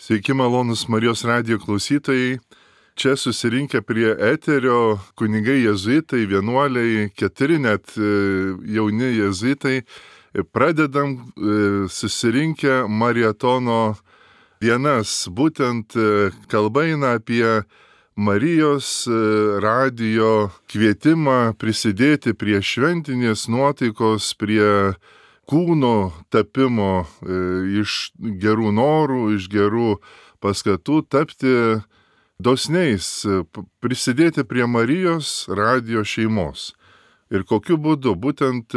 Sveiki malonus Marijos radijo klausytojai. Čia susirinkę prie eterio kunigai jėzuitai, vienuoliai, 4 net jauni jėzuitai. Pradedam susirinkę marietono dienas. Būtent kalba eina apie Marijos radijo kvietimą prisidėti prie šventinės nuotaikos, prie kūno tapimo, iš gerų norų, iš gerų paskatų tapti dosniais, prisidėti prie Marijos radijo šeimos. Ir kokiu būdu, būtent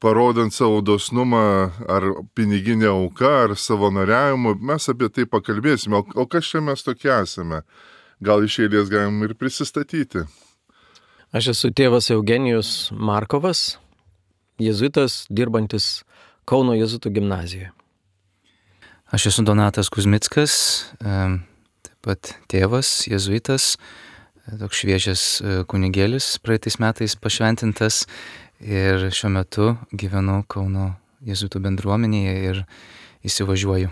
parodant savo dosnumą ar piniginę auką, ar savanoriavimu, mes apie tai pakalbėsime. O kas čia mes tokie esame? Gal iš eilės galim ir prisistatyti. Aš esu tėvas Eugenijus Markovas, jėzuitas, dirbantis Kauno jėzuitų gimnazijoje. Aš esu Donatas Kuzmickas, taip pat tėvas, jėzuitas, toks šviežias kunigėlis, praeitais metais pašventintas ir šiuo metu gyvenu Kauno jėzuitų bendruomenėje ir įsivažiuoju.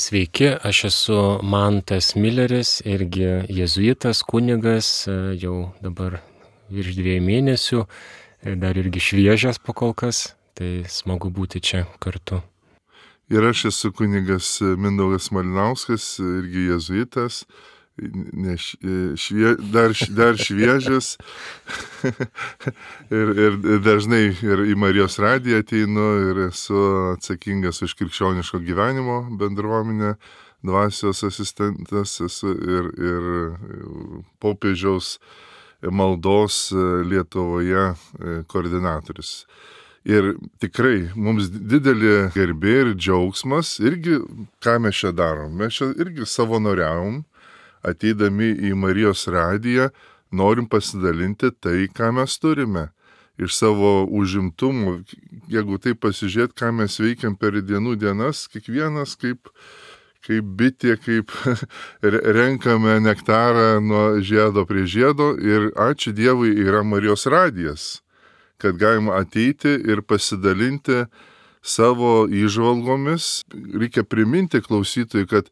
Sveiki, aš esu Mantas Milleris, irgi jėzuitas, kunigas, jau dabar virš 2 mėnesių. Dar irgi šviežias pakolkas, tai smagu būti čia kartu. Ir aš esu kunigas Mindaugas Malinauskas, irgi jėzuitas, dar šviežias ir dažnai ir į Marijos radiją ateinu ir esu atsakingas už krikščioniško gyvenimo bendruomenę, dvasios asistentas esu ir popiežiaus maldos Lietuvoje koordinatorius. Ir tikrai mums didelė garbė ir džiaugsmas, irgi ką mes čia darom. Mes čia irgi savanoriavom, ateidami į Marijos radiją, norim pasidalinti tai, ką mes turime. Iš savo užimtumų, jeigu taip pasižiūrėt, ką mes veikiam per dienų dienas, kiekvienas kaip bitė, kaip renkame nektarą nuo žiedo prie žiedo ir ačiū Dievui yra Marijos radijas, kad galima ateiti ir pasidalinti savo įžvalgomis. Reikia priminti klausytojui, kad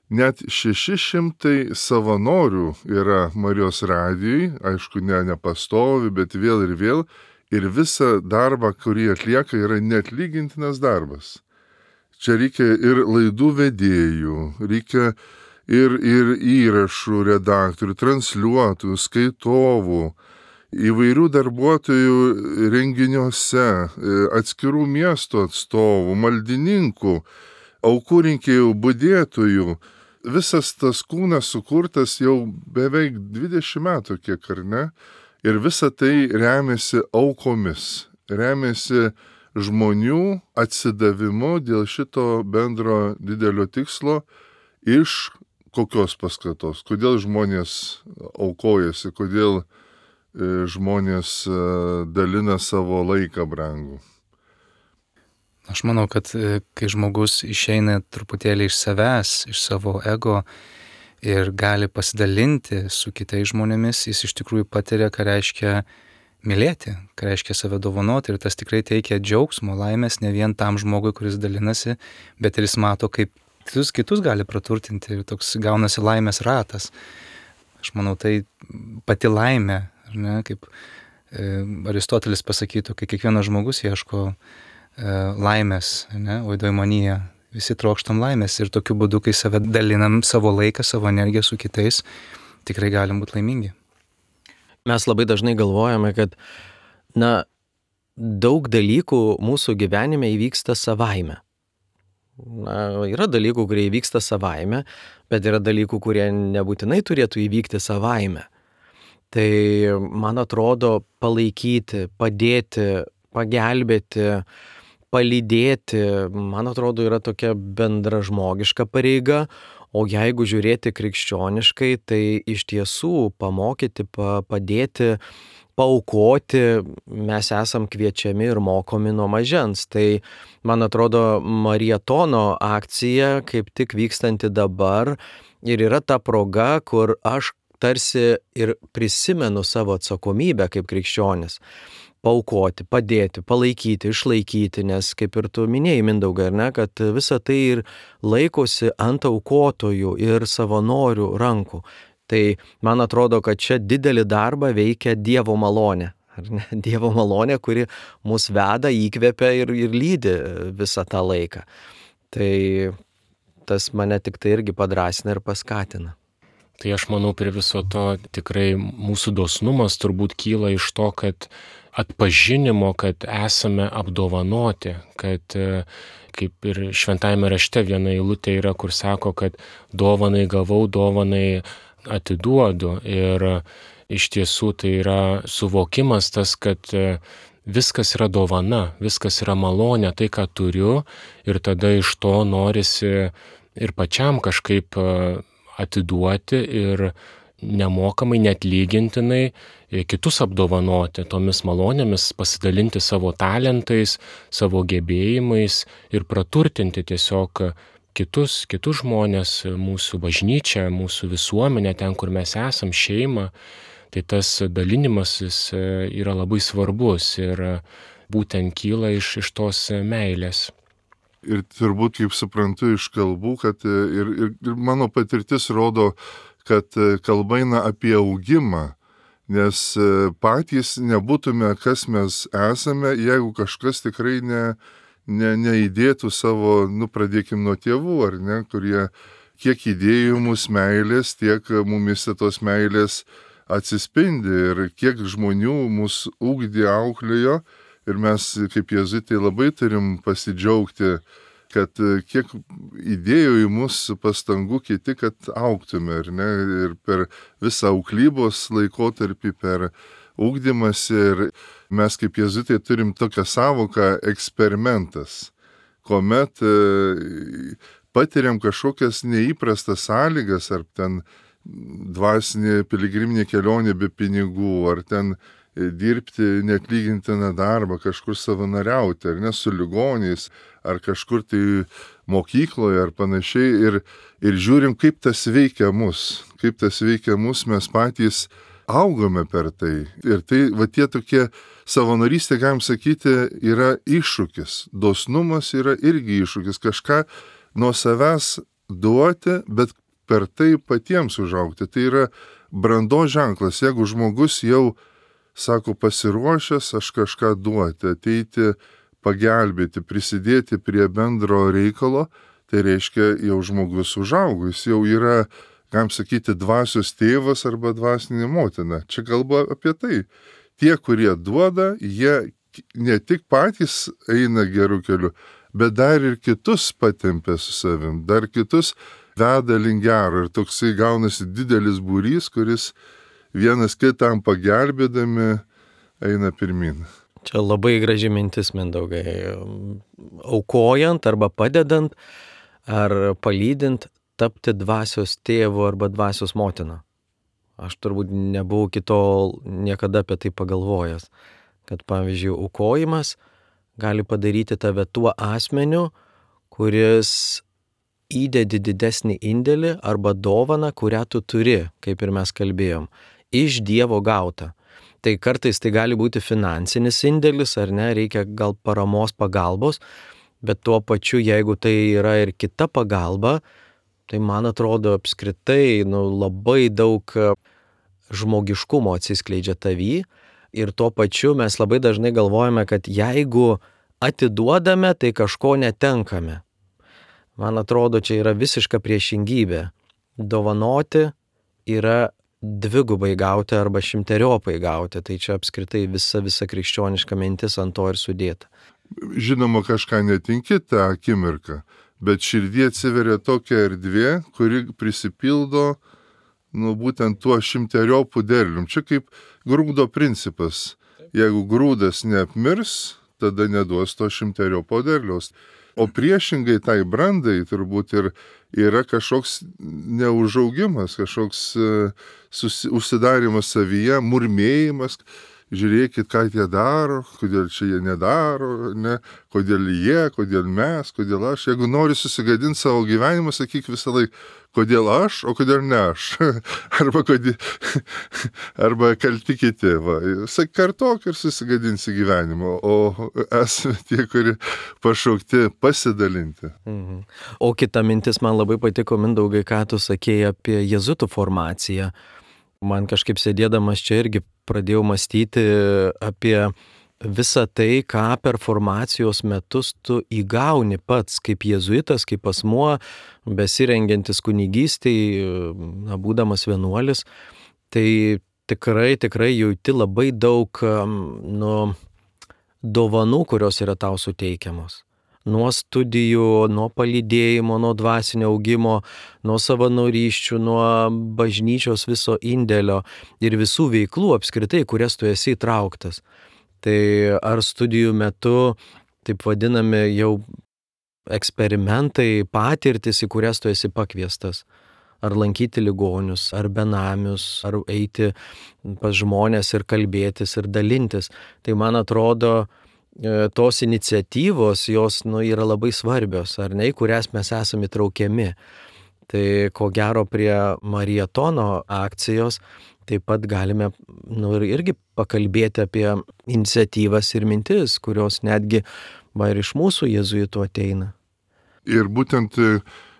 net 600 savanorių yra Marijos radijui, aišku, nepastovi, bet vėl ir visą darbą, kurį atlieka, yra neatlygintinas darbas. Čia reikia ir laidų vedėjų, reikia ir įrašų redaktorių, transliuotojų, skaitovų, įvairių darbuotojų renginiuose, atskirų miestų atstovų, maldininkų, aukų rinkėjų, budėtojų. Visas tas kūnas sukurtas jau beveik 20 metų, kiek ar ne, ir visa tai remiasi aukomis, remiasi žmonių atsidavimu dėl šito bendro didelio tikslo iš kokios paskatos, kodėl žmonės aukojasi, kodėl žmonės dalina savo laiką brangų. Aš manau, kad kai žmogus išeina truputėlį iš savęs, iš savo ego ir gali pasidalinti su kitais žmonėmis, jis iš tikrųjų patiria, ką reiškia mylėti, ką reiškia save dovanoti, ir tas tikrai teikia džiaugsmo, laimės ne vien tam žmogui, kuris dalinasi, bet ir jis mato, kaip kitus gali praturtinti ir toks gaunasi laimės ratas. Aš manau, tai pati laimė, ar ne, kaip Aristotelis pasakytų, kai kiekvienas žmogus ieško laimės, ne, oidoimonija, visi trokštam laimės ir tokiu būdu, kai save dalinam savo laiką, savo energiją su kitais, tikrai galim būti laimingi. Mes labai dažnai galvojame, kad daug dalykų mūsų gyvenime įvyksta savaime. Yra dalykų, kurie įvyksta savaime, bet yra dalykų, kurie nebūtinai turėtų įvykti savaime. Tai, man atrodo, palaikyti, padėti, pagelbėti, palydėti, man atrodo, yra tokia bendra žmogiška pareiga. O jeigu žiūrėti krikščioniškai, tai iš tiesų pamokyti, padėti, paaukoti mes esam kviečiami ir mokomi nuo mažens. Tai, man atrodo, marietono akcija, kaip tik vykstanti dabar, ir yra ta proga, kur aš tarsi ir prisimenu savo atsakomybę kaip krikščionis. paaukoti, padėti, palaikyti, išlaikyti, nes kaip ir tu minėjai, Mindaugai, ar ne, kad visa tai ir laikosi ant aukotojų ir savanorių rankų. Tai man atrodo, kad čia didelį darbą veikia Dievo malonė. Ar ne? Dievo malonė, kuri mus veda, įkvepia ir lydi visą tą laiką. Tai tas mane tik tai irgi padrasina ir paskatina. Tai aš manau, prie viso to tikrai mūsų dosnumas turbūt kyla iš to, kad atpažinimo, kad esame apdovanoti, kad kaip ir šventajame rašte viena eilutė yra, kur sako, kad dovanai gavau, dovanai atiduodu. Ir iš tiesų tai yra suvokimas tas, kad viskas yra dovana, viskas yra malonė, tai ką turiu, ir tada iš to norisi ir pačiam kažkaip atiduoti ir nemokamai, neatlygintinai kitus apdovanoti tomis malonėmis, pasidalinti savo talentais, savo gebėjimais ir praturtinti tiesiog kitus žmonės, mūsų bažnyčią, mūsų visuomenę, ten, kur mes esam, šeimą. Tai tas dalinimasis yra labai svarbus ir būtent kyla iš tos meilės. Ir turbūt, kaip suprantu iš kalbų, kad ir mano patirtis rodo, kad kalba eina apie augimą, nes patys nebūtume, kas mes esame, jeigu kažkas tikrai neįdėtų savo, pradėkim nuo tėvų, ar ne, kurie kiek įdėjo mūsų meilės, tiek mumise tos meilės atsispindi ir kiek žmonių mūsų ugdė, auklėjo. Ir mes kaip jėzuitai labai turim pasidžiaugti, kad kiek įdėjo į mus pastangų kiti, kad augtume, ar ne, ir per visą auklybos laikotarpį, per ugdymąsi. Ir mes kaip jėzuitai turim tokią savoką eksperimentas, kuomet patiriam kažkokias neįprastas sąlygas, ar ten dvasinė piligriminė kelionė be pinigų, ar ten dirbti neatlygintiną darbą, kažkur savanoriauti, ar ne, su ligoniais, ar kažkur tai mokykloje, ar panašiai, ir žiūrim, kaip tas veikia mus, mes patys augame per tai. Ir tai, tie tokie savanorystė, galim sakyti, yra iššūkis. Dosnumas yra irgi iššūkis, kažką nuo savęs duoti, bet per tai patiems užaugti. Tai yra brandos ženklas, jeigu žmogus jau sako, pasiruošęs aš kažką duoti, ateiti, pagelbėti, prisidėti prie bendro reikalo, tai reiškia, jau žmogus užaugo, jis jau yra, galim sakyti, dvasios tėvas arba dvasinė motina. Čia kalba apie tai. Tie, kurie duoda, jie ne tik patys eina gerų kelių, bet dar ir kitus patempia su savim, dar kitus veda link gero. Ir toksai gaunasi didelis būrys, kuris vienas kitam pagelbėdami eina pirmin. Čia labai graži mintis, Mindaugai. Aukojant arba padedant ar palydint tapti dvasios tėvu arba dvasios motina. Aš turbūt nebuvau iki tol niekada apie tai pagalvojęs, kad pavyzdžiui aukojimas gali padaryti tave tuo asmeniu, kuris įdedi didesnį indėlį arba dovaną, kurią tu turi, kaip ir mes kalbėjom, iš Dievo gautą. Tai kartais tai gali būti finansinis indėlis, ar ne, reikia gal paramos, pagalbos, bet tuo pačiu, jeigu tai yra ir kita pagalba, tai man atrodo apskritai labai daug žmogiškumo atsiskleidžia tavy ir tuo pačiu mes labai dažnai galvojame, kad jeigu atiduodame, tai kažko netenkame. Man atrodo, čia yra visiška priešingybė. Dovanoti yra dvigubai gauti arba šimteriopai gauti. Tai čia apskritai visa krikščioniška mintis ant to ir sudėta. Žinoma, kažką netinki tą akimirką, bet širdie atsiveria tokia erdvė, kuri prisipildo būtent tuo šimteriopų derlium. Čia kaip grūdo principas. Jeigu grūdas neapmirs, tada neduos to šimteriopo derliaus. O priešingai tai brandai turbūt ir yra kažkoks neužaugimas, kažkoks užsidarimas savyje, murmėjimas. žiūrėkit, ką jie daro, kodėl čia jie nedaro, ne, kodėl jie, kodėl mes, kodėl aš. Jeigu nori susigadinti savo gyvenimą, sakyk visą laiką, kodėl aš, o kodėl ne aš. arba kalti kiti. Kartok ir susigadinsi gyvenimą, o esame tie, kurie pašaukti pasidalinti. O kita mintis man labai patiko, Mindaugai, ką tu sakėjai apie jėzuitų formaciją. Man kažkaip sėdėdamas čia irgi pradėjau mąstyti apie visą tai, ką per formacijos metus tu įgauni pats kaip jėzuitas, kaip asmuo, besirengiantis kunigystei, būdamas vienuolis. Tai tikrai jauti labai daug dovanų, kurios yra tau suteikiamos. Nuo studijų, nuo palydėjimo, nuo dvasinio augimo, nuo savanorysčių, nuo bažnyčios viso indėlio ir visų veiklų apskritai, kurias tu esi įtrauktas. Tai ar studijų metu, taip vadinami jau eksperimentai, patirtis, į kurias tu esi pakviestas. Ar lankyti ligonius, ar benamius, ar eiti pas žmonės ir kalbėtis ir dalintis. Tai man atrodo, tos iniciatyvos, jos yra labai svarbios, ar ne, į kurias mes esame įtraukiami. Tai ko gero prie Marietono akcijos taip pat galime irgi pakalbėti apie iniciatyvas ir mintis, kurios netgi ir iš mūsų jėzuitų ateina. Ir būtent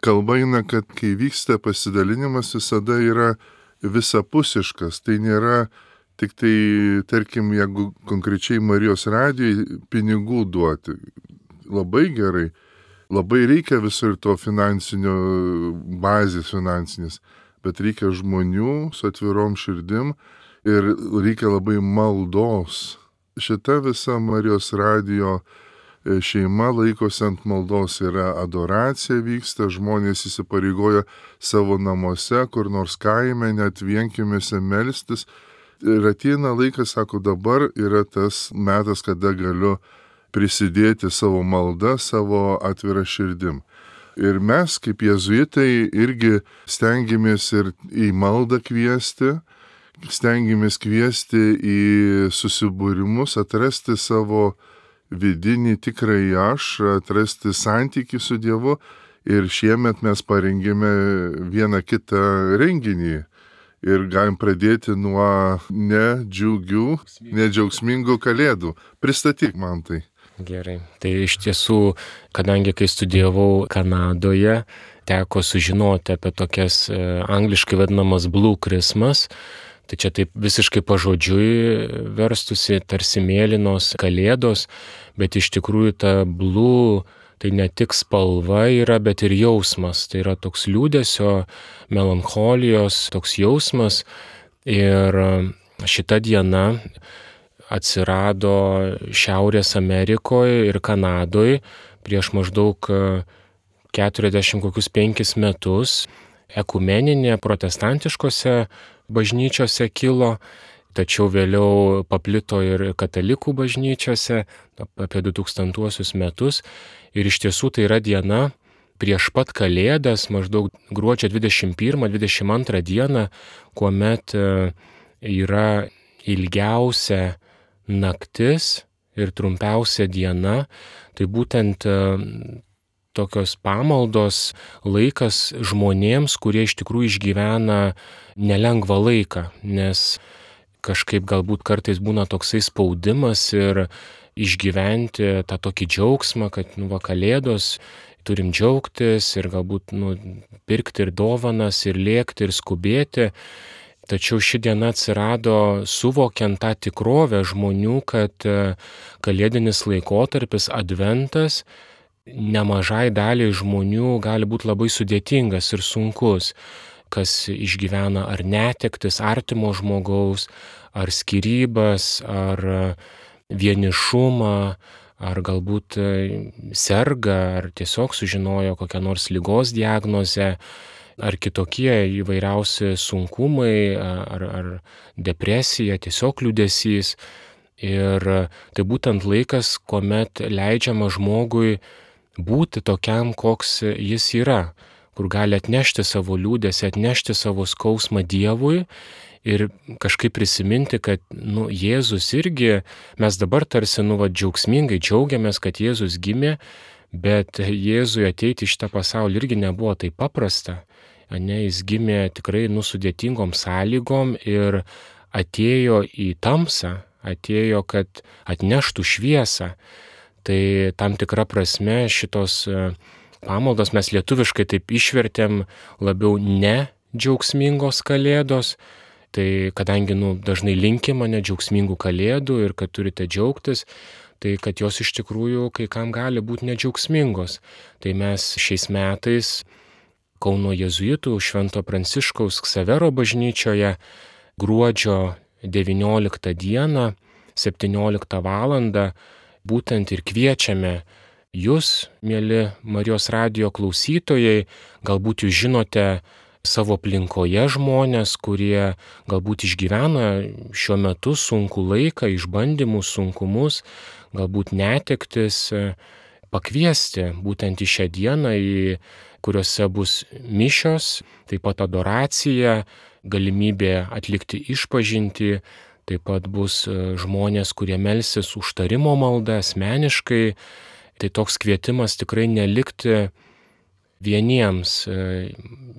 kalba eina, kad kai vyksta pasidalinimas, visada yra visapusiškas. Tai nėra tik tai, tarkim, jeigu konkrečiai Marijos radijai pinigų duoti. Labai gerai. Labai reikia visur to finansinio bazės finansinės, bet reikia žmonių su atvirom širdim ir reikia labai maldos. Šita visa Marijos radijo šeima laikosi ant maldos, yra adoracija vyksta, žmonės įsipareigoja savo namuose, kur nors kaime, net vienkiemėse melstis. Ir ateina laikas, sako, dabar yra tas metas, kada galiu prisidėti savo maldą, savo atvirą širdim. Ir mes, kaip jėzuitai, irgi stengiamės ir į maldą kviesti, stengiamės kviesti į susibūrimus, atrasti savo vidinį tikrąjį aš, atrasti santykį su Dievu. Ir šiemet mes parengėme vieną kitą renginį. Ir galim pradėti nuo nedžiaugsmingų kalėdų. Pristatyk man tai. Gerai. Tai iš tiesų, kadangi kai studijavau Kanadoje, teko sužinoti apie tokias angliškai vadinamas Blue Christmas. Tai čia taip visiškai pažodžiui verstusi tarsi mėlynos kalėdos, bet iš tikrųjų ta blue tai ne tik spalva yra, bet ir jausmas. Tai yra toks liūdesio, melancholijos, toks jausmas. Ir šita diena atsirado Šiaurės Amerikoje ir Kanadoje prieš maždaug 45 metus. Ekumeninė protestantiškose bažnyčiose kilo, tačiau vėliau paplito ir katalikų bažnyčiose apie 2000 metus. Ir iš tiesų tai yra diena prieš pat Kalėdas, maždaug gruodžio 21-22 dieną, kuomet yra ilgiausia naktis ir trumpiausia diena. Tai būtent tokios pamaldos laikas žmonėms, kurie iš tikrųjų išgyvena nelengvą laiką, nes kažkaip galbūt kartais būna toksai spaudimas ir išgyventi tą tokį džiaugsmą, kad Kalėdos turim džiaugtis ir galbūt pirkti ir dovanas, ir lėkti, ir skubėti. Tačiau ši diena atsirado suvokiant tą tikrovę žmonių, kad kalėdinis laikotarpis, adventas, nemažai daliai žmonių gali būti labai sudėtingas ir sunkus, kas išgyvena ar netektis artimo žmogaus, ar skyrybas, ar vienišumą, ar galbūt serga, ar tiesiog sužinojo kokią nors ligos diagnozę, ar kitokie įvairiausi sunkumai, ar depresija, tiesiog liūdesys. Ir tai būtent laikas, kuomet leidžiama žmogui būti tokiam, koks jis yra, kur gali atnešti savo liūdėsį, atnešti savo skausmą Dievui ir kažkaip prisiminti, kad Jėzus irgi, mes dabar tarsi džiaugsmingai džiaugiamės, kad Jėzus gimė, bet Jėzui ateiti į šitą pasaulį irgi nebuvo taip paprasta. Jis gimė tikrai sudėtingom sąlygom ir atėjo į tamsą, atėjo, kad atneštų šviesą. Tai tam tikra prasme šitos pamaldos mes lietuviškai taip išvertėm labiau ne džiaugsmingos kalėdos. Tai kadangi dažnai linkima džiaugsmingų kalėdų ir kad turite džiaugtis, tai kad jos iš tikrųjų kai kam gali būti nedžiaugsmingos. Tai mes šiais metais Kauno jėzuitų Švento Pranciškaus Ksavero bažnyčioje gruodžio 19 dieną 17 valandą būtent ir kviečiame jūs, mieli Marijos radijo klausytojai, galbūt jūs žinote savo aplinkoje žmonės, kurie galbūt išgyvena šiuo metu sunkų laiką, išbandymus, sunkumus, galbūt netektis, pakviesti būtent į šią dieną, kuriuose bus mišios, taip pat adoracija, galimybė atlikti išpažintį, taip pat bus žmonės, kurie melsis užtarimo maldą asmeniškai. Tai toks kvietimas tikrai nelikti vieniems,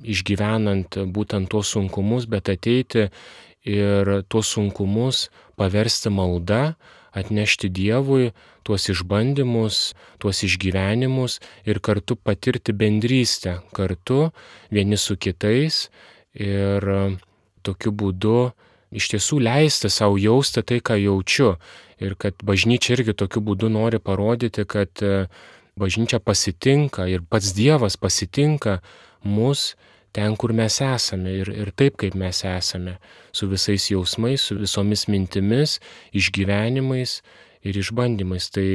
išgyvenant būtent tuos sunkumus, bet ateiti ir tuos sunkumus paversti malda, atnešti Dievui tuos išbandymus, tuos išgyvenimus ir kartu patirti bendrystę, kartu vieni su kitais ir tokiu būdu iš tiesų leisti savo jausti tai, ką jaučiu. Ir kad bažnyčia irgi tokiu būdu nori parodyti, kad bažnyčia pasitinka ir pats Dievas pasitinka mus ten, kur mes esame ir taip, kaip mes esame, su visais jausmais, su visomis mintimis, išgyvenimais ir išbandymais. Tai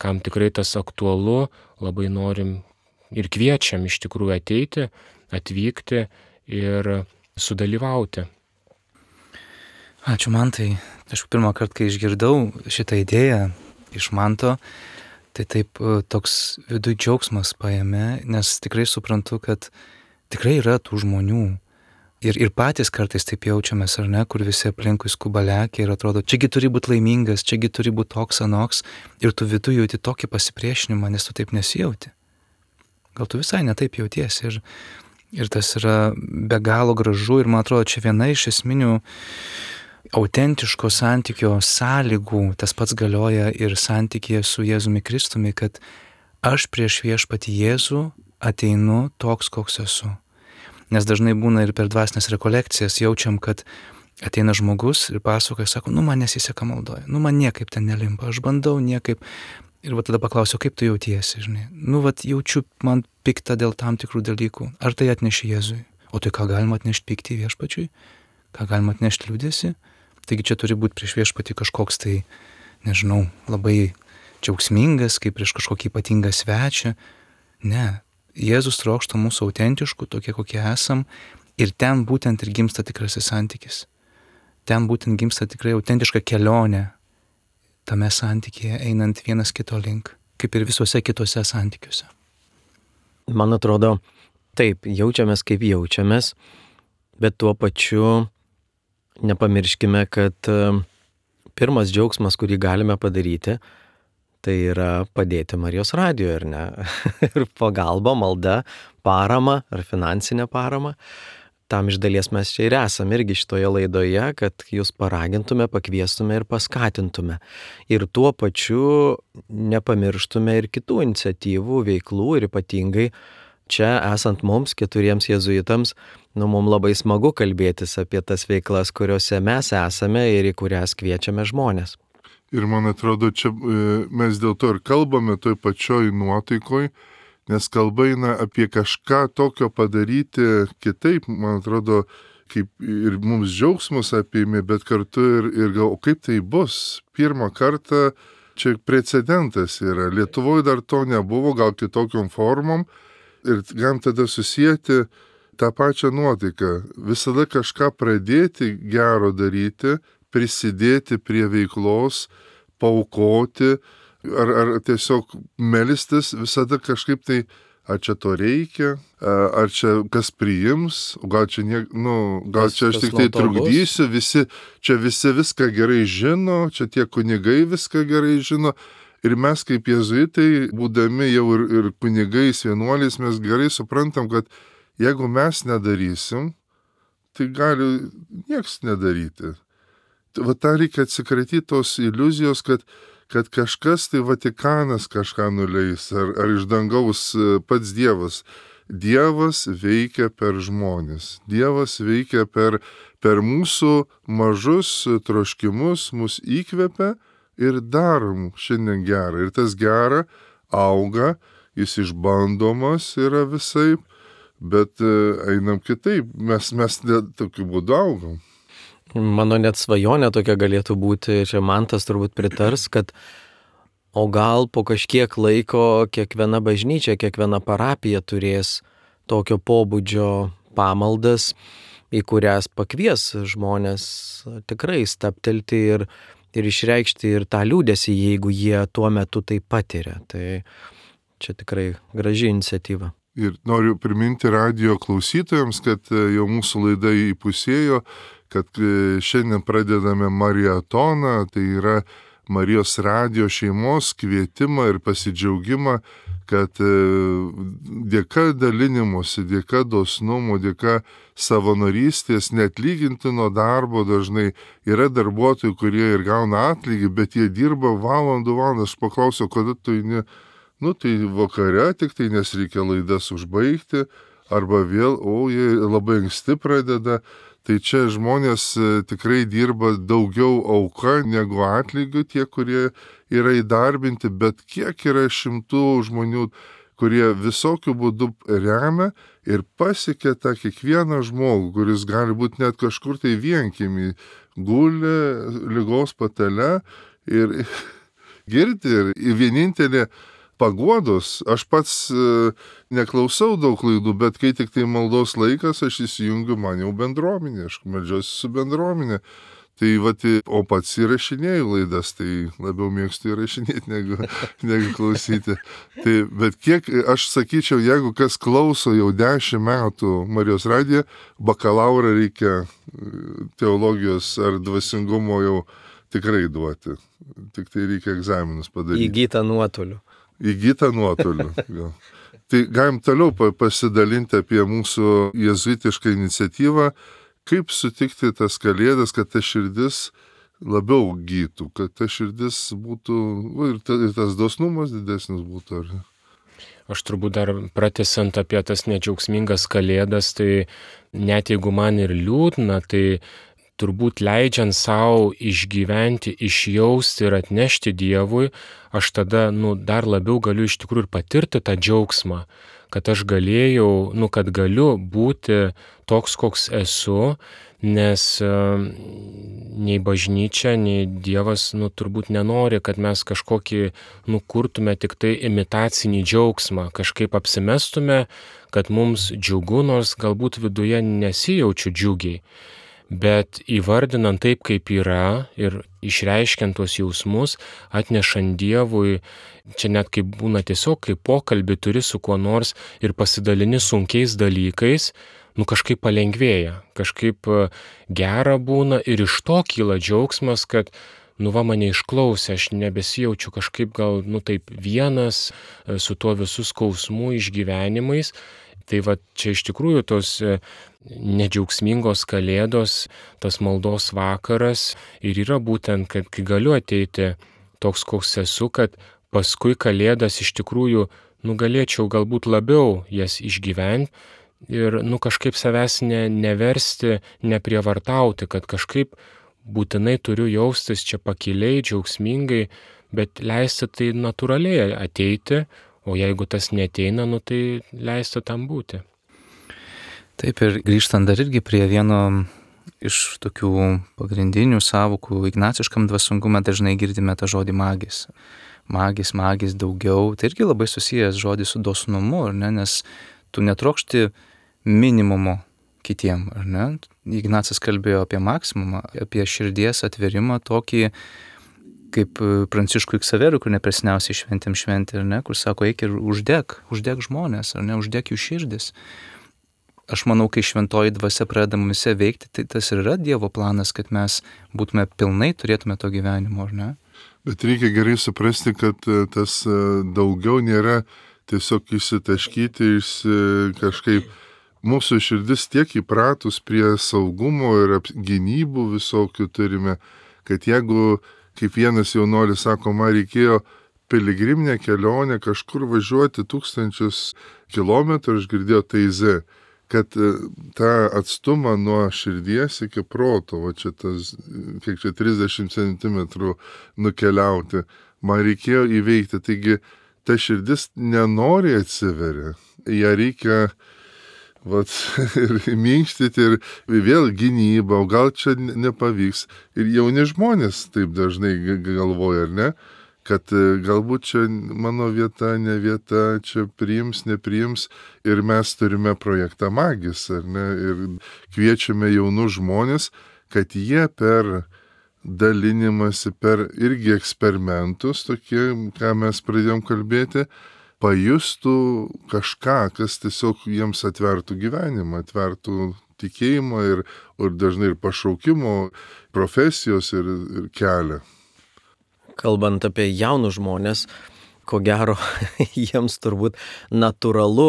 kam tikrai tas aktualu, labai norim ir kviečiam iš tikrųjų ateiti, atvykti ir sudalyvauti. Ačiū Mantai. Aš pirmą kartą, kai išgirdau šitą idėją iš Manto, tai taip toks viduj džiaugsmas paėmė, nes tikrai suprantu, kad tikrai yra tų žmonių. Ir patys kartais taip jaučiamės, ar ne, kur visi aplinkui skuba lekia ir atrodo, čiagi turi būti laimingas, čiagi turi būti toks anoks, ir tu viduj jauti tokį pasipriešinimą, nes tu taip nesijauti. Gal tu visai netaip jautiesi ir tas yra be galo gražu ir man atrodo, čia viena iš esminių autentiško santykio sąlygų, tas pats galioja ir santykėje su Jėzumi Kristumi, kad aš prieš viešpatį Jėzų ateinu toks, koks esu. Nes dažnai būna ir per dvasinės rekolekcijas jaučiam, kad ateina žmogus ir pasakoja, sako, man nesiseka maldoje, man niekaip ten nelimpa, aš bandau niekaip. Ir tada paklausiu, kaip tu jautiesi, žinai. Jaučiu man piktą dėl tam tikrų dalykų. Ar tai atneši Jėzui? O tai ką galima atnešti pyktį viešpačiui? Ką galima atnešti liūdėsi? Taigi čia turi būti prieš viešpatį kažkoks tai, nežinau, labai džiaugsmingas, kaip prieš kažkokį ypatingą svečią. Ne. Jėzus trokšta mūsų autentiškų, tokie kokie esam, ir ten būtent ir gimsta tikrasis santykis. Ten būtent gimsta tikrai autentiška kelionė tame santykėje, einant vienas kito link, kaip ir visuose kitose santykiuose. Man atrodo, taip, jaučiamės kaip jaučiamės, bet tuo pačiu nepamirškime, kad pirmas džiaugsmas, kurį galime padaryti, tai yra padėti Marijos radijoje, ar ne? Ir pagalba, malda, parama ar finansinė parama. Tam iš dalies mes čia ir esame irgi šitoje laidoje, kad jūs paragintume, pakviestume ir paskatintume. Ir tuo pačiu nepamirštume ir kitų iniciatyvų, veiklų ir ypatingai čia esant mums, 4 jėzuitams, mums labai smagu kalbėtis apie tas veiklas, kuriuose mes esame ir į kurias kviečiame žmonės. Ir man atrodo, čia mes dėl to ir kalbame toj pačioj nuotaikoj, nes kalba eina apie kažką tokio padaryti kitaip, man atrodo, kaip ir mums džiaugsmus apėmė, bet kartu ir gal, o kaip tai bus? Pirmą kartą čia precedentas yra. Lietuvoje dar to nebuvo, gal kitokiom formom, ir galim tada susijęti tą pačią nuotaiką. Visada kažką pradėti gero daryti, prisidėti prie veiklos, paaukoti, ar tiesiog melstis, visada kažkaip tai ar čia to reikia, ar čia kas priims, gal čia, gal čia aš tik tai trukdysiu, visi viską gerai žino, čia tie kunigai viską gerai žino. Ir mes kaip jėzuitai, būdami jau ir kunigais, vienuoliais, mes gerai suprantam, kad jeigu mes nedarysim, tai gali nieks nedaryti. Va tą reikia atsikratyti tos iliuzijos, kad kažkas, tai Vatikanas kažką nuleis, ar iš dangaus pats Dievas. Dievas veikia per žmonės. Dievas veikia per mūsų mažus troškimus, mus įkvepia ir darom šiandien gerą. Ir tas gera auga, jis išbandomas yra visaip, bet einam kitaip. Mes tokiu būdu augam. Mano net svajonė tokia galėtų būti, čia Mantas turbūt pritars, kad o gal po kažkiek laiko kiekviena bažnyčia, kiekviena parapija turės tokio pobūdžio pamaldas, į kurias pakvies žmonės tikrai stabtelti ir išreikšti ir tą liūdesį, jeigu jie tuo metu tai patiria. Tai čia tikrai graži iniciatyva. Ir noriu priminti radijo klausytojams, kad jau mūsų laida įpusėjo, kad šiandien pradedame mariatoną, tai yra Marijos radijo šeimos kvietimą ir pasidžiaugimą, kad dėka dalinimuose, dėka dosnumo, dėka savanorystės, neatlygintino darbo dažnai yra darbuotojų, kurie ir gauna atlygį, bet jie dirba valandų. Aš paklausiau, kada tu eini, tai vakare tik tai, nes reikia laidas užbaigti, arba vėl, jie labai anksti pradeda. Tai čia žmonės tikrai dirba daugiau auka negu atlygių, tie, kurie yra įdarbinti, bet kiek yra šimtų žmonių, kurie visokių būdų remia ir pasiekia tą kiekvieną žmogų, kuris gali būti net kažkur tai vienkiemį, guli ligos patale ir girdi. Ir vienintelė paguodos, aš pats neklausau daug laidų, bet kai tik tai maldos laikas, aš įsijungiu, man jau bendruomenė, aš meldžiuosi su bendruomenė. Tai o pats įrašinėjau laidas, tai labiau mėgstu įrašinėti negu klausyti. Tai, bet kiek, aš sakyčiau, jeigu kas klauso jau 10 metų Marijos radiją, bakalaurą reikia teologijos ar dvasingumo jau tikrai duoti. Tik tai reikia egzaminus padaryti. Įgytą nuotoliu. Tai galim toliau pasidalinti apie mūsų jėzuitišką iniciatyvą, kaip sutikti tas kalėdas, kad ta širdis labiau gytų, kad ta širdis būtų, ir tas dosnumas didesnis būtų. Aš turbūt dar pratęsiant apie tas nedžiaugsmingas kalėdas, tai net jeigu man ir liūdna, tai turbūt leidžiant savo išgyventi, išjausti ir atnešti Dievui, aš tada dar labiau galiu iš tikrųjų ir patirti tą džiaugsmą, kad aš galėjau, kad galiu būti toks, koks esu, nes nei bažnyčia, nei Dievas turbūt nenori, kad mes kažkokį kurtume tik tai imitacinį džiaugsmą, kažkaip apsimestume, kad mums džiugu, nors galbūt viduje nesijaučiu džiugiai. Bet įvardinant taip, kaip yra ir išreiškiant tuos jausmus, atnešant Dievui, čia net kaip būna tiesiog, kaip pokalbį turi su kuo nors ir pasidalini sunkiais dalykais, kažkaip palengvėja, kažkaip gera būna ir iš to kyla džiaugsmas, kad mane išklausė, aš nebesijaučiu kažkaip gal taip vienas su tuo visų skausmų išgyvenimais. Tai čia iš tikrųjų tos nedžiaugsmingos kalėdos, tas maldos vakaras ir yra būtent, kad kai galiu ateiti toks, koks esu, kad paskui kalėdas iš tikrųjų galėčiau galbūt labiau jas išgyventi ir kažkaip savęs neversti, neprievartauti, kad kažkaip būtinai turiu jaustis čia pakiliai, džiaugsmingai, bet leisti tai natūraliai ateiti. O jeigu tas neteina, tai leisti tam būti. Taip, ir grįžtant dar irgi prie vieno iš tokių pagrindinių sąvokų ignaciškam dvasingume dažnai girdime tą žodį magis. Magis, daugiau. Tai irgi labai susijęs žodis su dosnumu, ar ne? Nes tu netrokšti minimumo kitiem, ar ne? Ignacas kalbėjo apie maksimumą, apie širdies atverimą tokį kaip Pranciškui Ksaverui, kur nepresniausiai šventėm šventė, ar ne, kur sako, eik ir uždeg žmonės, ar ne, uždeg jų širdis. Aš manau, kai šventoji dvasia pradeda mumise veikti, tai tas ir yra Dievo planas, kad mes būtume pilnai, turėtume to gyvenimo, ar ne? Bet reikia gerai suprasti, kad tas daugiau nėra tiesiog išsitaškyti, kažkaip mūsų širdis tiek įpratus prie saugumo ir gynybų visokių turime, kad jeigu, kaip vienas jaunuolis sako, man reikėjo piligriminę kelionę kažkur važiuoti 1000 kilometrų, aš girdėjau Taize, kad tą atstumą nuo širdies iki proto, va čia tas, kiek čia 30 centimetrų nukeliauti, man reikėjo įveikti. Taigi ta širdis nenori atsiveria, ją reikia ir minkštyti ir vėl gynyba, o gal čia nepavyks. Ir jauni žmonės taip dažnai galvoja, ar ne? Kad galbūt čia mano vieta, ne vieta, čia priims, nepriims ir mes turime projektą Magis, ar ne, ir kviečiame jaunus žmonės, kad jie per dalinimąsi, per irgi eksperimentus, tokie, ką mes pradėjom kalbėti, pajustų kažką, kas tiesiog jiems atvertų gyvenimą, atvertų tikėjimą ir dažnai ir pašaukimo, profesijos ir kelią. Kalbant apie jaunus žmonės, ko gero, jiems turbūt natūralu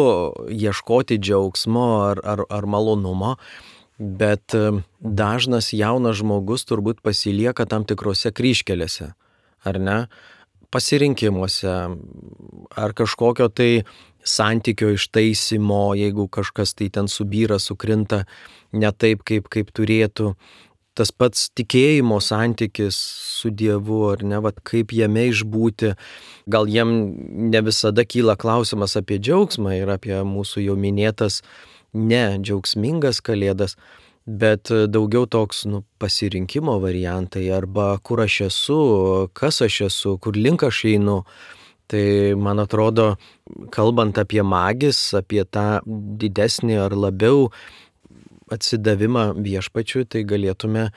ieškoti džiaugsmo ar malonumo, bet dažnas jaunas žmogus turbūt pasilieka tam tikrose kryžkelėse, ar ne? Pasirinkimuose, ar kažkokio tai santykio ištaisimo, jeigu kažkas tai ten subyra, sukrinta ne taip, kaip turėtų. Tas pats tikėjimo santykis su Dievu, ar ne, kaip jame išbūti. Gal jiem ne visada kyla klausimas apie džiaugsmą ir apie mūsų jau minėtas nedžiaugsmingas kalėdas, bet daugiau toks pasirinkimo variantai, arba kur aš esu, kas aš esu, kur link aš einu. Tai man atrodo, kalbant apie Magis, apie tą didesnį ar labiau atsidavimą viešpačiui, tai galėtume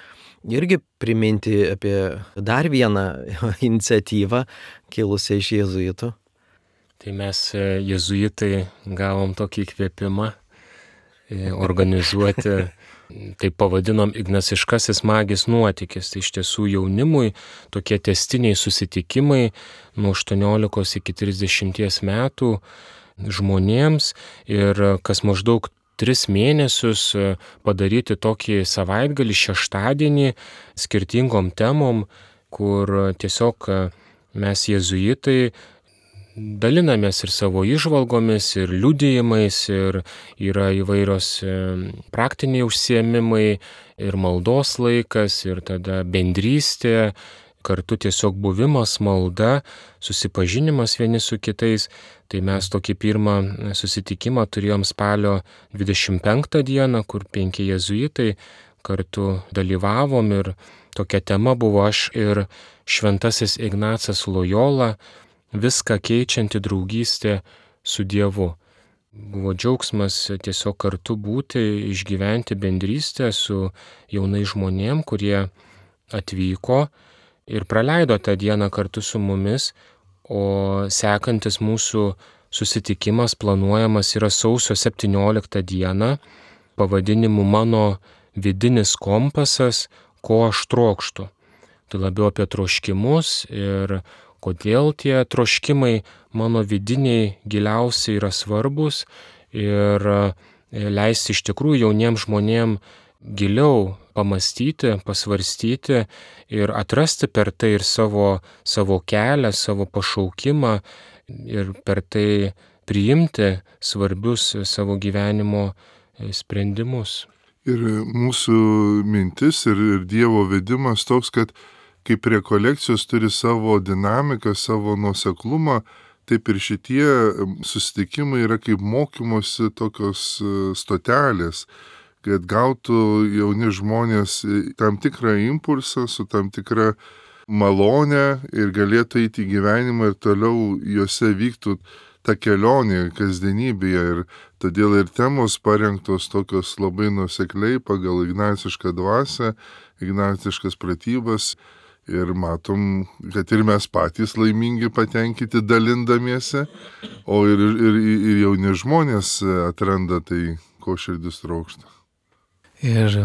irgi priminti apie dar vieną iniciatyvą kilusią iš jėzuitų. Tai mes jėzuitai gavom tokį įkvėpimą organizuoti, taip pavadinom Ignaciškasis Magis nuotykis. Tai iš tiesų jaunimui tokie tęstiniai susitikimai nuo 18 iki 30 metų žmonėms ir kas maždaug 3 mėnesius padaryti tokį savaitgalį, šeštadienį skirtingom temom, kur tiesiog mes jėzuitai dalinamės ir savo įžvalgomis, ir liudijimais, ir yra įvairios praktiniai užsiėmimai, ir maldos laikas, ir tada bendrystė, kartu tiesiog buvimas, malda, susipažinimas vieni su kitais. Tai mes tokį pirmą susitikimą turėjom spalio 25 dieną, kur 5 jėzuitai kartu dalyvavom ir tokia tema buvo aš ir šventasis Ignacas Lojola, viską keičianti draugystė su Dievu. Buvo džiaugsmas tiesiog kartu būti, išgyventi bendrystę su jaunais žmonėm, kurie atvyko ir praleido tą dieną kartu su mumis, o sekantis mūsų susitikimas planuojamas yra sausio 17 dieną, pavadinimu Mano vidinis kompasas, ko aš trokštu. Tai labiau apie troškimus ir kodėl tie troškimai mano vidiniai giliausiai yra svarbus ir leisti iš tikrųjų jauniems žmonėms giliau pamastyti, pasvarstyti ir atrasti per tai ir savo kelią, savo pašaukimą ir per tai priimti svarbius savo gyvenimo sprendimus. Ir mūsų mintis ir Dievo vedimas toks, kad kaip rekolekcijos turi savo dinamiką, savo nuoseklumą, taip ir šitie susitikimai yra kaip mokymosi tokios stotelės, kad gautų jauni žmonės tam tikrą impulsą, su tam tikrą malonę ir galėtų eiti į gyvenimą ir toliau juose vyktų ta kelionė kasdienybėje. Ir todėl ir temos parengtos tokios labai nuosekliai pagal ignacišką dvasią, ignaciškas pratybas Ir matom, kad ir mes patys laimingi, patenkinti dalindamiesi, o ir jauni žmonės atranda tai, ko širdis trokšta. Ir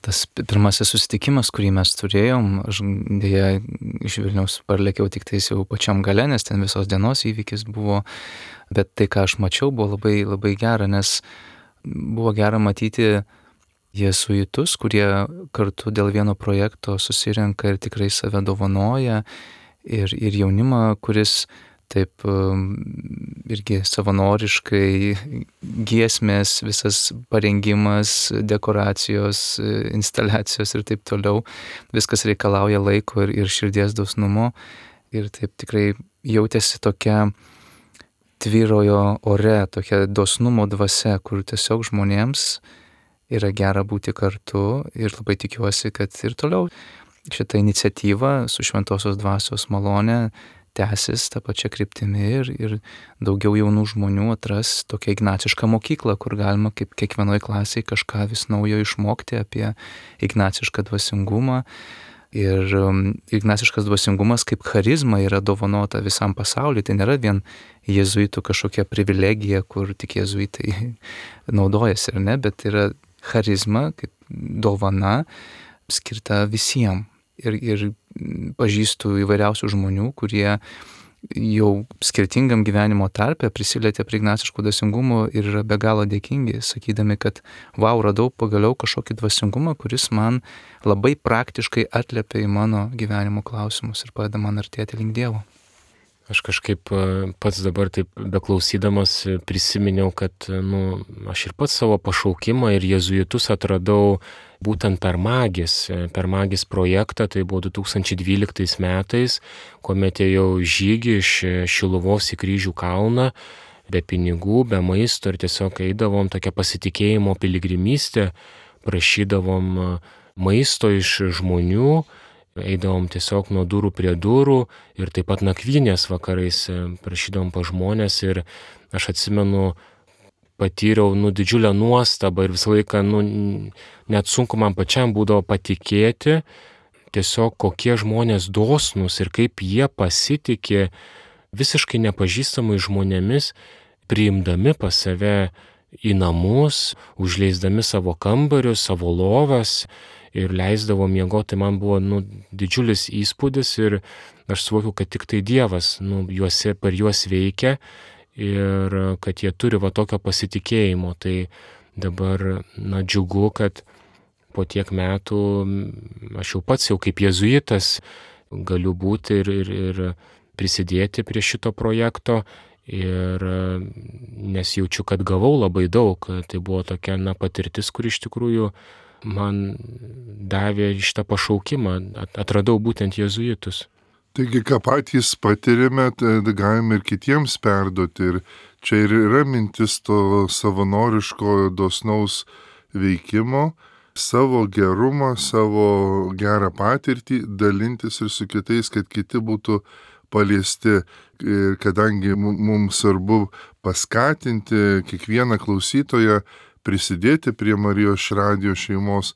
tas pirmasis susitikimas, kurį mes turėjom, aš dėja iš Vilniaus parlėkiau tik tais jau pačiam gale, nes ten visos dienos įvykis buvo, bet tai, ką aš mačiau, buvo labai, labai gera, nes buvo gera matyti jėzuitus, kurie kartu dėl vieno projekto susirenka ir tikrai save dovanoja, ir jaunimą, kuris taip irgi savanoriškai giesmės, visas parengimas, dekoracijos, instaliacijos ir taip toliau. Viskas reikalauja laiko ir širdies dosnumo. Ir taip tikrai jautėsi tokia tvyrojo ore, tokia dosnumo dvasia, kur tiesiog žmonėms yra gera būti kartu. Ir labai tikiuosi, kad ir toliau šitą iniciatyvą su Šventosios Dvasios malone tęsis tą pačią kryptimį ir daugiau jaunų žmonių atras tokią ignacišką mokyklą, kur galima kaip kiekvienoje klasėje kažką vis naujo išmokti apie ignacišką dvasingumą. Ir ignaciškas dvasingumas kaip charizma yra dovanota visam pasauliu. Tai nėra vien jėzuitų kažkokia privilegija, kur tik jėzuitai naudojasi, ar ne, bet yra charizma kaip dovana skirta visiems. Ir pažįstu įvairiausių žmonių, kurie jau skirtingam gyvenimo tarpe prisilietė prie ignaciško dvasingumo ir yra be galo dėkingi, sakydami, kad radau pagaliau kažkokį dvasingumą, kuris man labai praktiškai atliepia į mano gyvenimo klausimus ir padeda man artėti link Dievo. Aš kažkaip pats dabar taip beklausydamas prisiminiau, kad aš ir pats savo pašaukimą ir jėzuitus atradau būtent per Magis projektą, tai buvo 2012 metais, kuomet ėjau žygį iš Šiluvos į Kryžių kalną, be pinigų, be maisto ir tiesiog eidavom tokią pasitikėjimo piligrimystę, prašydavom maisto iš žmonių, eidavom tiesiog nuo durų prie durų ir taip pat nakvynės vakarais prašydavom pa žmonės ir aš atsimenu, patyriau didžiulę nuostabą ir visą laiką net sunku man pačiam būdavo patikėti tiesiog kokie žmonės dosnūs ir kaip jie pasitikė visiškai nepažįstamai žmonėmis, priimdami pas save į namus, užleisdami savo kambarius, savo lovas ir leisdavo miegoti. Tai man buvo didžiulis įspūdis ir aš suvokiau, kad tik tai Dievas per juos veikia ir kad jie turi tokio pasitikėjimo. Tai dabar džiugu, kad po tiek metų aš jau pats kaip jėzuitas galiu būti ir prisidėti prie šito projekto ir nes jaučiu, kad gavau labai daug. Tai buvo tokia patirtis, kur iš tikrųjų man davė šitą pašaukimą, atradau būtent jėzuitus. Taigi, ką patys patiriame, tai galime ir kitiems perduoti. Ir čia ir yra mintis to savanoriško dosnaus veikimo, savo gerumą, savo gerą patirtį dalintis ir su kitais, kad kiti būtų paliesti. Ir kadangi mums svarbu paskatinti kiekvieną klausytoją prisidėti prie Marijos radijo šeimos,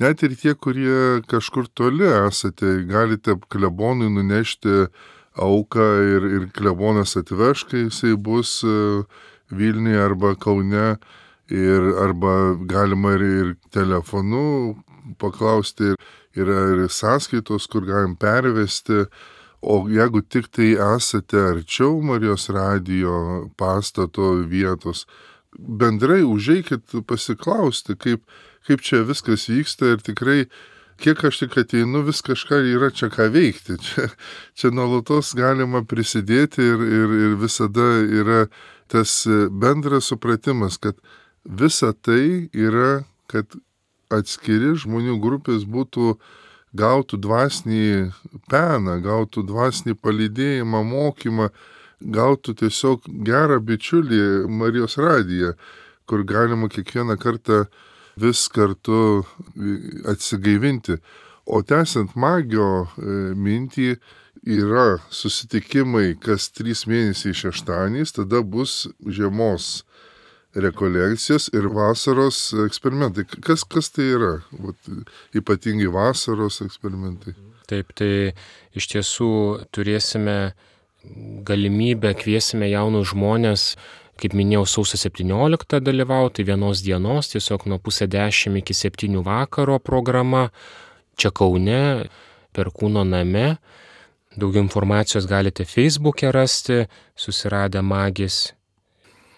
net ir tie, kurie kažkur toli esate, galite klebonui nunešti auką ir klebonas atveš, kai jisai bus Vilniuje arba Kaune, arba galima ir telefonu paklausti, yra ir sąskaitos, kur galim pervesti. O jeigu tik tai esate arčiau Marijos radijo pastato vietos, bendrai užeikit pasiklausti, kaip čia viskas vyksta ir tikrai, kiek aš tik ateinu, vis kažką yra čia ką veikti. Čia nuolatos galima prisidėti ir visada yra tas bendras supratimas, kad visa tai yra, kad atskiri žmonių grupės gautų dvasinį peną, gautų dvasinį palydėjimą, mokymą, gautų tiesiog gerą bičiulį Marijos radiją, kur galima kiekvieną kartą vis kartu atsigaivinti. O tęsiant Magio mintį, yra susitikimai kas 3 mėnesiai šeštadieniais, tada bus žiemos rekolekcijos ir vasaros eksperimentai. Kas tai yra? Ypatingai vasaros eksperimentai. Taip, tai iš tiesų turėsime galimybę, kviesime jaunus žmonės, kaip minėjau, sausio 17 dalyvauti vienos dienos, tiesiog nuo 9:30 iki 7 vakaro programa, čia Kaune, Perkūno name. Daugiau informacijos galite Facebook'e rasti, susiradę Magis.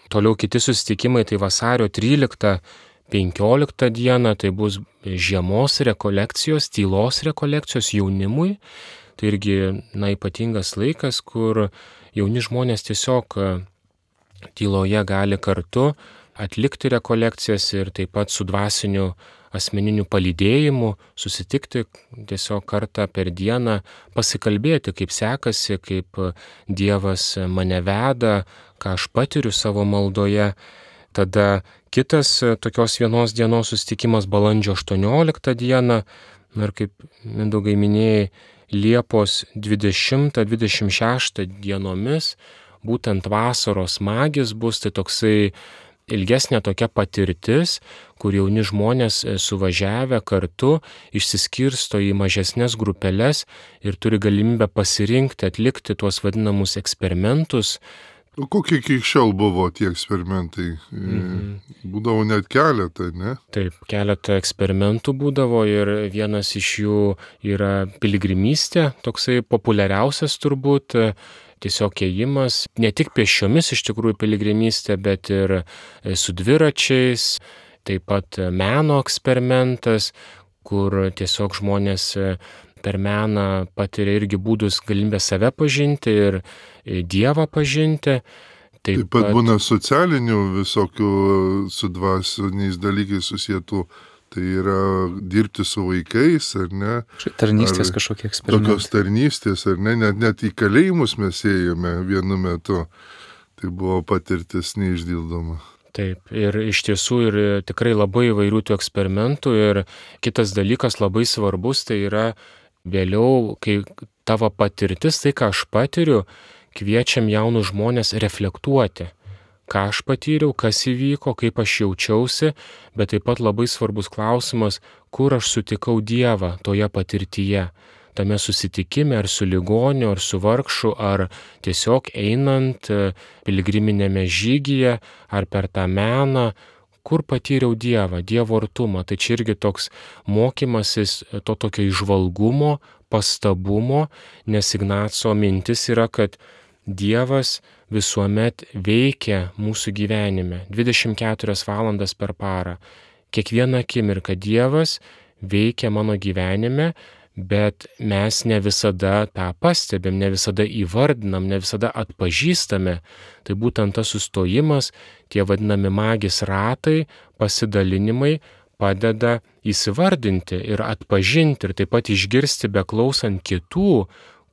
Toliau kiti susitikimai, tai vasario 13-15 dieną, tai bus žiemos rekolekcijos, tylos rekolekcijos jaunimui. Tai irgi, ypatingas laikas, kur jauni žmonės tiesiog tyloje gali kartu atlikti rekolekcijas ir taip pat su dvasiniu asmeniniu palydėjimu susitikti tiesiog kartą per dieną, pasikalbėti, kaip sekasi, kaip Dievas mane veda, ką aš patiriu savo maldoje. Tada kitas tokios vienos dienos susitikimas balandžio 18 dieną, ir kaip Mindaugai minėjai, Liepos 20-26 dienomis, būtent vasaros magis bus, tai toksai ilgesnė tokia patirtis, kur jauni žmonės suvažiavę kartu išsiskirsto į mažesnės grupeles ir turi galimybę pasirinkti, atlikti tuos vadinamus eksperimentus. O kokie iki šiol buvo tie eksperimentai? Būdavo net keletą, ne? Taip, keletą eksperimentų būdavo ir vienas iš jų yra piligrimystė, toksai populiariausias turbūt, tiesiog ėjimas, ne tik pėsčiomis iš tikrųjų piligrimystė, bet ir su dviračiais, taip pat meno eksperimentas, kur tiesiog žmonės per meną patiria irgi būdus galimybę save pažinti ir Dievą pažinti. Taip pat būna socialinių visokių su dvasiniais dalykais susietų. Tai yra dirbti su vaikais, ar ne? Tarnystės kažkokie eksperimentai. Tokios tarnystės, ar ne? Net į kalėjimus mes ėjome vienu metu. Tai buvo patirtis neišdildoma. Taip, ir iš tiesų ir tikrai labai įvairių tų eksperimentų. Ir kitas dalykas labai svarbus, tai yra vėliau, kai tavo patirtis, tai ką aš patiriu, kviečiam jaunus žmonės reflektuoti. Ką aš patyriau, kas įvyko, kaip aš jaučiausi, bet taip pat labai svarbus klausimas, kur aš sutikau Dievą toje patirtyje, tame susitikime ar su ligoniu, ar su vargšu, ar tiesiog einant piligriminėme žygyje, ar per tą meną, kur patyriau Dievą, Dievo artumą. Tai čia irgi toks mokymasis to tokio įžvalgumo, pastabumo, nes Ignaco mintis yra, kad Dievas visuomet veikia mūsų gyvenime 24 valandas per parą. Kiekvieną akimirką Dievas veikia mano gyvenime, bet mes ne visada tą pastebim, ne visada įvardinam, ne visada atpažįstame. Tai būtent tas sustojimas, tie vadinami magis ratai, pasidalinimai padeda įsivardinti ir atpažinti ir taip pat išgirsti beklausant kitų,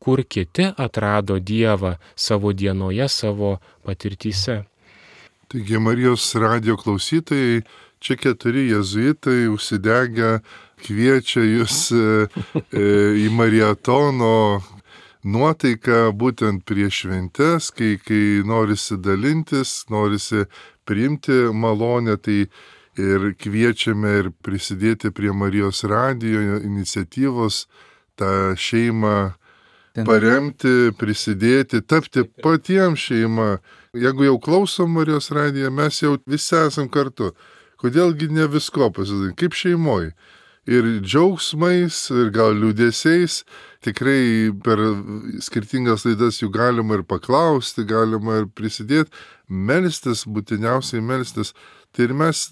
kur kiti atrado Dievą savo dienoje, savo patirtyse. Taigi Marijos radijo klausytojai, čia 4 jėzuitai užsidegę kviečia jūs į mariatono nuotaiką būtent prieš šventes, kai norisi dalintis, norisi priimti malonę, tai ir kviečiame ir prisidėti prie Marijos radijo iniciatyvos, tą šeimą paremti, prisidėti, tapti patiems šeima. Jeigu jau klausom Marijos radiją, mes jau visi esam kartu. Kodėlgi ne visko pasidaryti, kaip šeimoj. Ir džiaugsmais, ir gal liūdėsiais, tikrai per skirtingas laidas jų galima ir paklausti, galima ir prisidėti, melstis, būtiniausiai melstis. Tai ir mes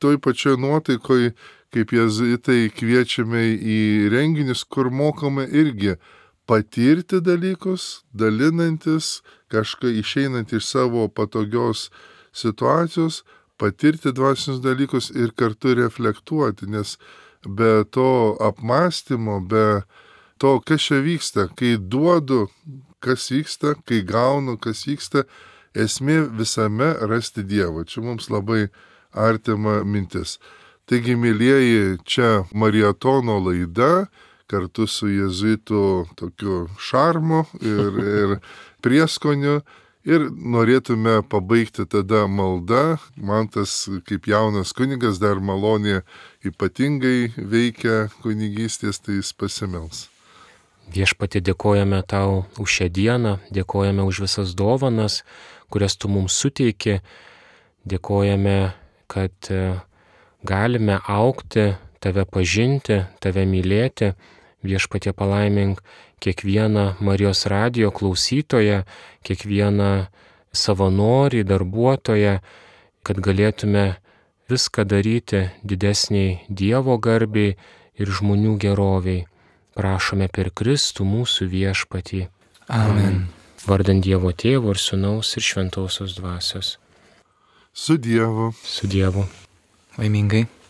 toj pačioj nuotaikoj, kaip jėzuitai, kviečiame į renginius, kur mokame irgi patirti dalykus, dalinantis, kažką išeinant iš savo patogios situacijos, patirti dvasinius dalykus ir kartu reflektuoti, nes be to apmąstymo, be to, kas čia vyksta, kai duodu, kas vyksta, kai gaunu, kas vyksta, esmė visame rasti Dievą. Čia mums labai artima mintis. Taigi, mylieji, čia mariatono laida, kartu su jėzuitų tokiu šarmu ir prieskoniu. Ir norėtume pabaigti tada maldą. Man tas kaip jaunas kunigas dar malonė ypatingai veikia kunigystės, tai jis pasimels. Viešpatie, dėkojame Tau už šią dieną, dėkojame už visas dovanas, kurias Tu mums suteiki, dėkojame, kad galime augti, Tave pažinti, Tave mylėti. Viešpatie, palaimink kiekvieną Marijos radijo klausytoją, kiekvieną savanorį, darbuotoją, kad galėtume viską daryti didesniai Dievo garbiai ir žmonių geroviai. Prašome per Kristų mūsų viešpatį. Amen. Vardant Dievo Tėvo ir Sūnaus ir Šventosios Dvasios. Su Dievu. Su Dievu. Laimingai.